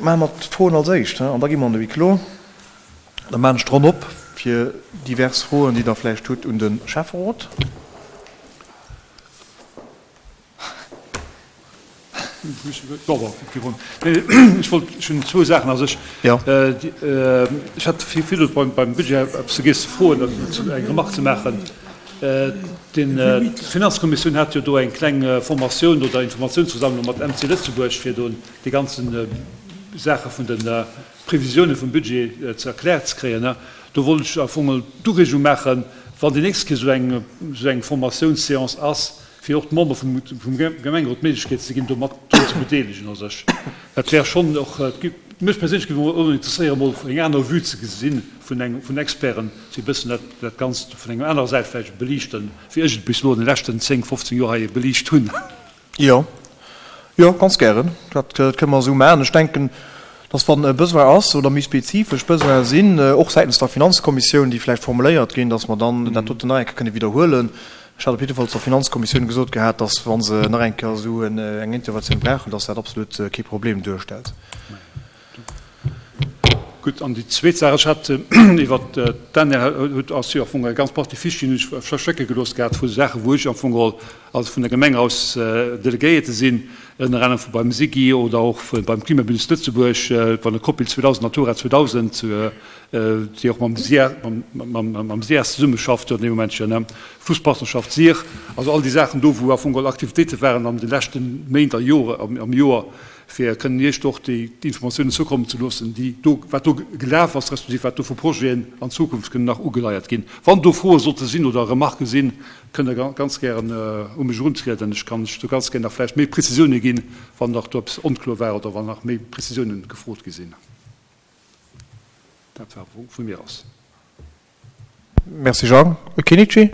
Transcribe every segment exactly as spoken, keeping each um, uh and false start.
Maache mer d'Froen als éischt, an da gi mer an de Huis clos. Da maachen ech d'Ronn op fir divers Froen, déi Der vläicht hutt un de Schäfferot. Ech wollt, ech hunn zwou Saachen. Also ech, ech hat virdu beim Budget eppes vergiess ze froen, eng Remarque ze maachen. D'Finanzkommissioun hat jo do eng kleng Formatioun oder Informatiounsversammlung mat M C Lëtzebuerg, fir do déi ganzen Saache vun de Previsiounen vum Budget ze erkläert ze kréien. Do wollt ech am Fong d'Ureegung maachen, wann déi nächst Kéier esou eng, esou eng Formatiounsséance ass, fir och d'Member vum Gemengerot d'Méiglechkeet ze ginn, do mat drun ze bedeelegen. Also ech, dat wär schonn och, mech perséinlech géif och interesséieren, emol eng aner Vue ze gesinn vun engem, vun Experten, déi e bëssen dat, dat Ganzt vun enger anerer Säit vläicht beliichten, wéi ech et bis elo an de leschten zéng, fofzéng Joer hei beliicht hunn. Jo, jo, ganz gären. Dat kënne mer esou maachen. Ech denken, dass wann e Besoin ass oder méi spezifesch Besoine sinn, och säitens der Finanzkommissioun, déi vläicht formuléiert ginn, dass mer dann dat doten nach eng Kéier kënne widderhuelen. Ech hat op jidde Fall zur Finanzkommissioun gesot gehat, dass wa se nach eng Kéier esou eng Interventioun brauchen, dass dat absolut kee Problem duerstellt. Gutt, an déi zweet Saach, ech hat iwwert d'Danièle huet ass jo am Fong eng ganz Partie Fichen hunn ech verschécke gelooss gehat vu Saachen, wou ech am Fong geholl als vun der Gemeng aus Delegéierte sinn, ënner anerem vu beim SIGI oder och beim Klimabündnis Lëtzebuerg, bei der Copil zweedausend, Natura zweedausend, déi och mam mam SIAS zesummeschafft jo an deem Momentchen, ne, Flusspartnerschaft Sir, also all déi Saachen do, wou am Fong geholl Aktivitéite waren an de leschte Méint a Jore am Joer, fir kënnen Iech do och déi Informatiounen zoukommen ze loossen, déi do, wat do gelaf ass, respektiv wat do vu Projeten an Zukunft kënnen nach ugeleiert ginn. Wann do Froe sollte sinn oder Remarquë sinn, kënnt Der ganz gären u mech eruntrieden. Ech kann lech do ganz gär nach vläicht méi Prezisioune ginn, wann nach do eppes onkloer war oder wann nach méi Prezisiounen gefrot gi sinn. Dat war vu mir aus. Merci Jean. Kinichi?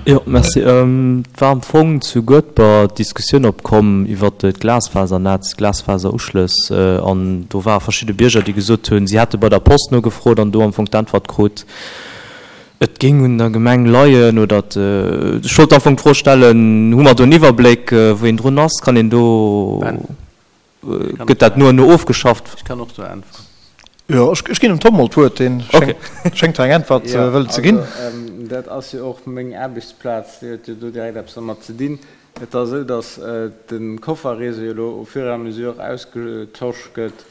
Jo, merci. Et war am Fong zu Guedber d'Diskussioun opkomm iwwert d'Glasfasernetz, d'Glasfaseruschlëss. An do ware verschidde Bierger, déi gesot hunn, si hätte bei der Post nogefrot an do am Fong d'Äntwert krut, et géing un der Gemeng leien oder et. Ech wollt am Fong d'Fro stellen, Hu mer do en Iwwerbléck, wou een drun ass? Kann een do, gëtt dat no an no ofgeschafft? Ech kann och do äntweren. Jo, ech ginn dem Tom mol d'Wuert, dee schéngt hei eng Äntwert wëllen ze ginn. Jo, also dat ass jo och meng Aarbechtsplaz, déi huet jo do direkt eppes dermat ze dinn. Et ass esou, datt de Kofferreseau jo elo au fur et à mesure ausgetosch gëtt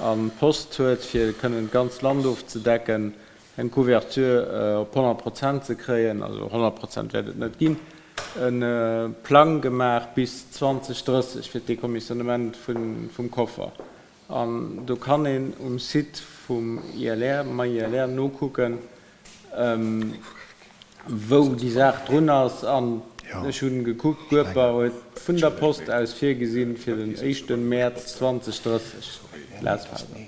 an d'Post huet, fir kënnen d'ganz Land ofzedecken, eng Couverture op honnert Prozent ze kréien, also honnert Prozent wäert et net ginn, e Plang gemaach bis zwanzeg drësseg fir d'Décommissionnement vum Koffer. An do kann een um Site vum I L R, MyILR, nokucken, wou déi Saach drun ass. An ech hu gekuckt, Guedber huet vun der Post aus virgesinn, fir den éischte Mäerz zwanzeg drësseg Glasfaser.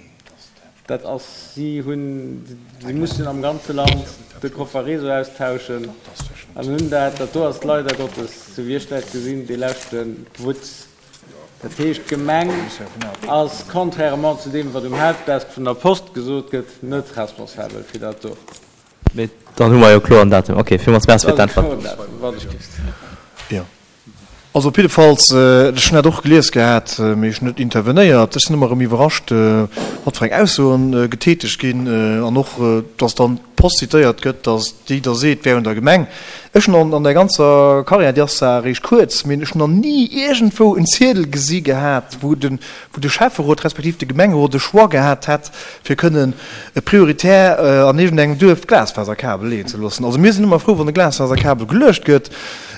Dat ass, si hunn, si mussen am ganze Land de Kofferreseau austauschen an hunn dat, dat do ass leider Gottes, sou wéi ech dat gesinn, dee leschte Wutz. Dat heescht, d'Gemeng ass, contrairement zu deem, wat um Helpdesk vun der Post gesot gëtt, net responsabel fir dat do. Mee dann hu mer jo kloer en Datum. Okay, villmools Merci fir d'Äntwert. Jo, also op jiddefalls, ech hunn dat och gelies gehat, mee ech hunn net intervenéiert. Ech sinn ëmmer erëm iwwerrascht, wat fir eng Aussoen getätegt ginn an och, dass dann d'Post zitéiert gëtt, dass déi da seet, wär un der Gemeng. Ech hunn an der ganzer Karriär, déi ass zwar eréischt kuerz, mee ech hunn nach ni iergendwou en Ziedel gesi gehat, wou de wou de Schäfferot respektiv de Gemengerot e Choix gehat hätt, fir kënnen prioritär an iergendengem Duerf d'Glasfaserkabel leeën ze loossen. Also mir sinn ëmmer frou, wann e Glasfaserkabel geluecht gëtt.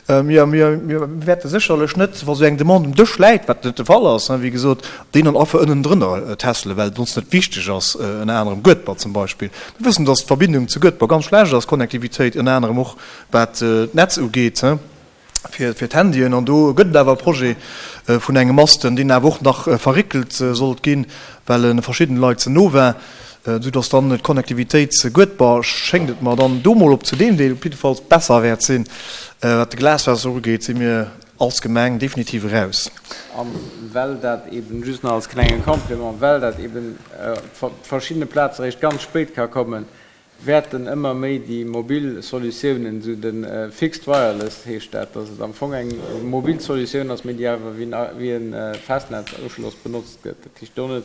Mir mir wäerte sécherlech net, wa sou eng Demande um Dësch läit, wat net de Fall ass, wéi gesot, deen dann einfach ënnendrënner tässelen, well et ons net wichteg ass, ënner anerem Guedber zum Beispill. Mir wëssen, dass d'Verbindung zu Guedber ganz schlecht ass, d'Connectivitéit ënner anerem och wat d'Netz ugeet fir d'Handyen. An do gëtt et awer e Projet vun engem Masten, deen awer och nach verréckelt sollt ginn, well e verschiddene Leit ze no war, soudass dann d'Connectivitéit zu Guedber, schéngt et mer dann do mol op zu deem Deel op jiddefalls besser wäert sinn. Wat de Glasfaser ugeet, si mir als Gemeng definitiv eraus. A well dat eben, just nach als klenge Complément, well dat eben op verschiddene Plaze eréischt ganz spéit ka kommen, wäerten ëmmer méi déi mobil Solutiounen, esou de Fixed Wireless heescht dat, dass et am Fong eng mobil Solutioun ass, mee déi awer wéi e Festnetzuschloss benotzt gëtt. Dat heescht do net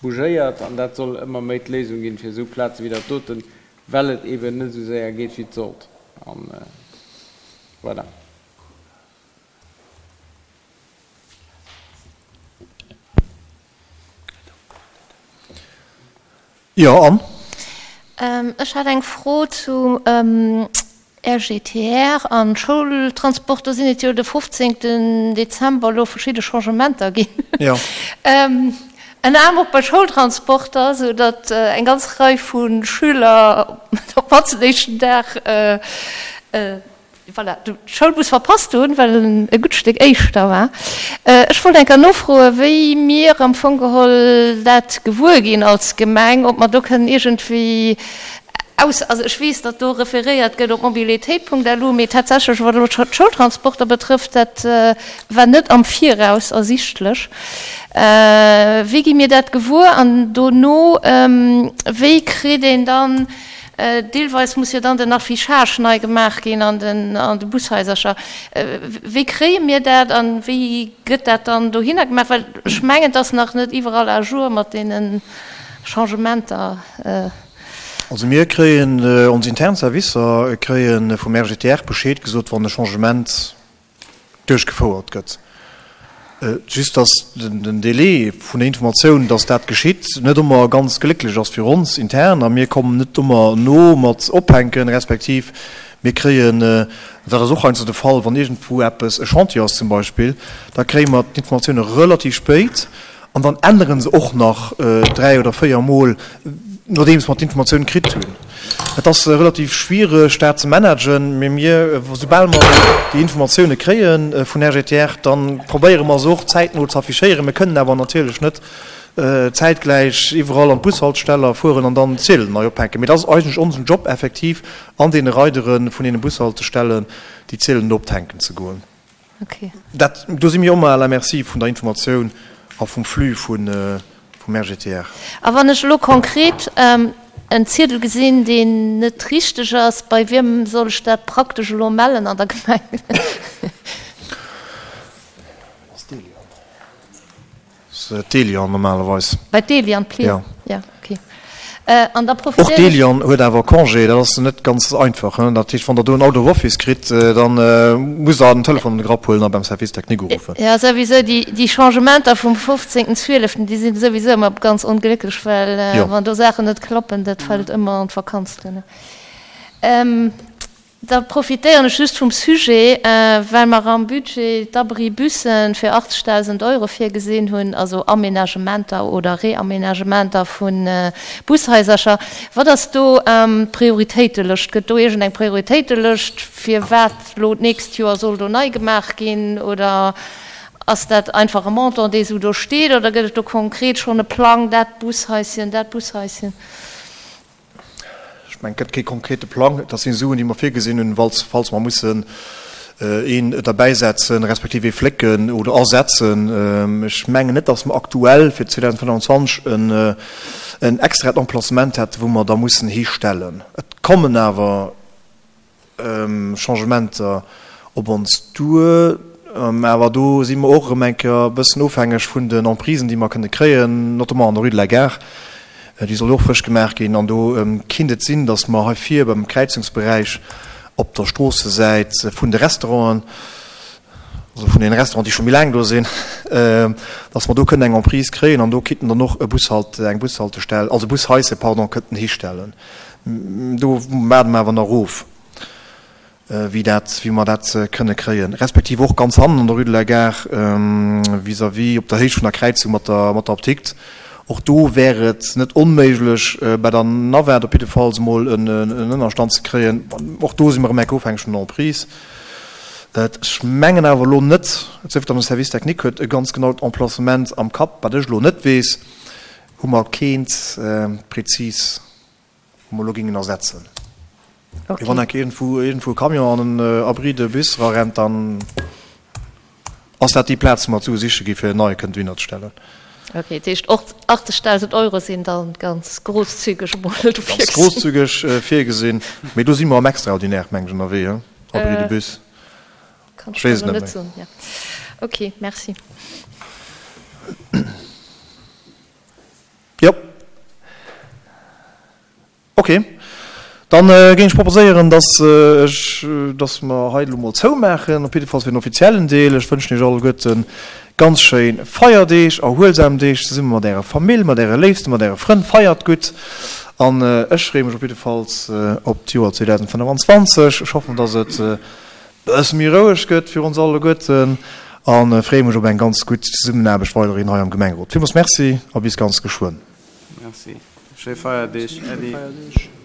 bougéiert an dat soll ëmmer méi d'Léisung ginn fir esou Plaze wéi dat doten, well et eeben net esou séier geet wéi et sollt. An voilà. Jo, Anne? Ech hat eng Fro zu RGTR an Schoultransport. Do sinn et jo de fofzéngten Dezember elo verschidde Changementer ginn. Jo. Ënner anerem och bei Schoultransporter, sou datt eng ganz Rei vu Schüler op d'mannst den éischten Dag, voilà, de Schoulbus verpasst hunn, well en e gutt Stéck éischter war. Ech wollt eng Kéier nofroen, wéi mir am Fong geholl dat gewuer ginn als Gemeng, ob mer do kënnen iergendwéi aus, also ech weess, datt do referéiert gëtt op mobilitéit.lu, mee tatsächlech, wat elo d'Schoultransporter betrëfft, dat war net am Viraus ersichtlech. Wéi gi mir dat gewuer? An dono, wéi kritt een dann, deelweis muss jo dann den Affichage nei gemaach ginn an den, an de Bushaisercher, wéi kréie mir dat a wéi gëtt dat dann dohinner gemaach? Well ech mengen, et ass nach net iwwerall à jour mat deene Changementer. Also mir kréien, ons intern Servicer kréie vum RGTR Bescheed gesot, wann e Changement duerchgefouert gëtt. Just dass den Délai vun der Informatioun, dass dat geschitt, net ëmmer ganz glécklech ass fir ons intern a mir kommen net ëmmer no mat ophänken, respektiv mir kréien, dat ass och heiansdo de Fall, wann iergendwou eppes, e Chantier ass zum Beispill, da kréie mer d'Informatioune relativ spéit An dann ännere se och nach dräi oder véier Mol, nodeems mer d'Informatioun kritt hunn. Et ass relativ schwiereg, dat ze managen, mee mir, soubal mer déi Informatioune kréie vun RGTR, da probéiere mer se och zäitno ze affichéieren. Mir kënnen awer natierlech net zäitgläich iwwerall an d'Bushaltesteller fueren an dann d'Ziedelen nei ophänken. Mee dat ass eigentlech onsen Job, effektiv an deene Reidere vun deene Bushaltestellen déi Ziedelen do ophänken ze goen. Okay. Dat, do si mir ëmmer à la merci vun der Informatioun a vum Flux vun, vum RGTR. A wann ech elo konkret en Ziedel gesinn, deen net richteg ass, bei wiem soll ech dat praktesch elo mellen an der Gemeng? D'Elian normalerweis. Bei d'Elian Plier? Ja. Ja, okay. An da Och profitéieren ech. d'Elian huet awer Congé, dat ass net ganz einfach. Dat heescht, wann Der do en Out of Office kritt, da musst Der den Telefon an de Grapp huelen a beim Service technique uruffen. Ja, souwisou, déi, déi Changementer vum fofzéngten zwieleften, déi sinn souwisou ëmmer ganz onglécklech, well Jo. wann do Saachen net klappen, dat fält ëmmer an d'Vakanz duerno. Da profitéieren ech just vum Sujet, well mer am Budget d'Abri-Bussen fir achtzegdausend Euro virgesinn hunn, also Aménagementer oder Réaménagementer vu Bushaisercher. Wat ass do d'Prioritéitelëscht? Gëtt do iergendeng Prioritéitelëscht, fir wat elo d'nächst Joer soll do nei gemaach ginn? Oder ass dat einfach e Montant, dee esou do steet? Oder gëtt et do konkret schonn e Plang, dat Bushaischen, dat Bushaischen? Ech mengen, et gëtt kee konkrete Plang. Dat si Suen, déi mer virgesinn hunn, falls, falls mer mussen een derbäisetzen, respektiv ee flécken oder ersetzen. Ech mengen net, datt mer aktuell fir zweedausendfënnwanzwanzeg en, en extraet Emplacement hätten, wou mer da mussen histellen. Et kommen awer Changementer op ons duer, awer do si mer och erëm eng Kéier e bëssen ofhängeg vun den Emprisen, déi mer kënne kréien, notamment an der Rue de la Gare, déi soll jo och frësch gemaach ginn. An do kinnt et sinn, datt mer hei vir beim Kräizungsberäich op der Stroossesäit vun de Restauranten, also vun deene Restauranten, déi scho méi laang do sinn, datt mer do kënnen eng Emprise kréien an do kinnten dann och e Bushalt, eng Bushaltestell, also e Bushaisse, pardon, kënnten histellen. Do waarde mer awer nach of, wéi dat, wéi mer dat kënne kréien, respektiv och ganz hannen an der Rue de la Gare vis-à-vis op der Héicht vun der Kräizung mat der, mat der Apdikt. Och do wär et net onméiglech, bei der Navette op jiddefalls emol en Ënnerstand ze kréien. Och do si mer erëm enk ofhängeg vun der Emprise. Ech mengen awer elo net, et sief dann, de Service technique huet e ganz genaut Emplacement am Kapp, wat ech elo net weess, hu mer keent prezis. Wou mer elo géingen ersetzen. Okay. Wann enk iergendwou iergendwou e Camion an en Abri de bus erarennt, dann ass dat déi Plaz, wou mer d'Sue siche gi fir en neie kënnen dohinner ze stellen. Okay, dat heescht och achtzegdausend Euro sinn da ganz großzügeg emol do Ganz virgesinn. großzügeg virgesinn. Mee do si mer am Extraordinaire, meng ech, ënnerwee, he? Abri de bus. Kann Ech ech weess et elo net net méi. soen, ja. Okay, merci. Jo. Ok. Dann géing ech proposéieren, dass ech, dass mer hei elo mol zoumaachen, op jiddefalls fir den offiziellen Deel. Ech wënschen Iech alleguerten ganz schéin Feierdeeg, erhuelsam Deeg zesumme mat Ärer Famill, mat Äre Léifsten, mat Äre Frënn. Feiert gutt an ech freeë mech op jiddefalls op d'Joer zweedausendfënneffanzwanzeg. Ech hoffen, dass et e bësse méi roueg gëtt fir ons alleguerten a freeë mech op eng ganz gutt Zesummenaarbecht weiderhin hei am Gemengerot. Villmools Merci a bis ganz geschwënn. Merci. Schéi Feierdeeg, Äddi.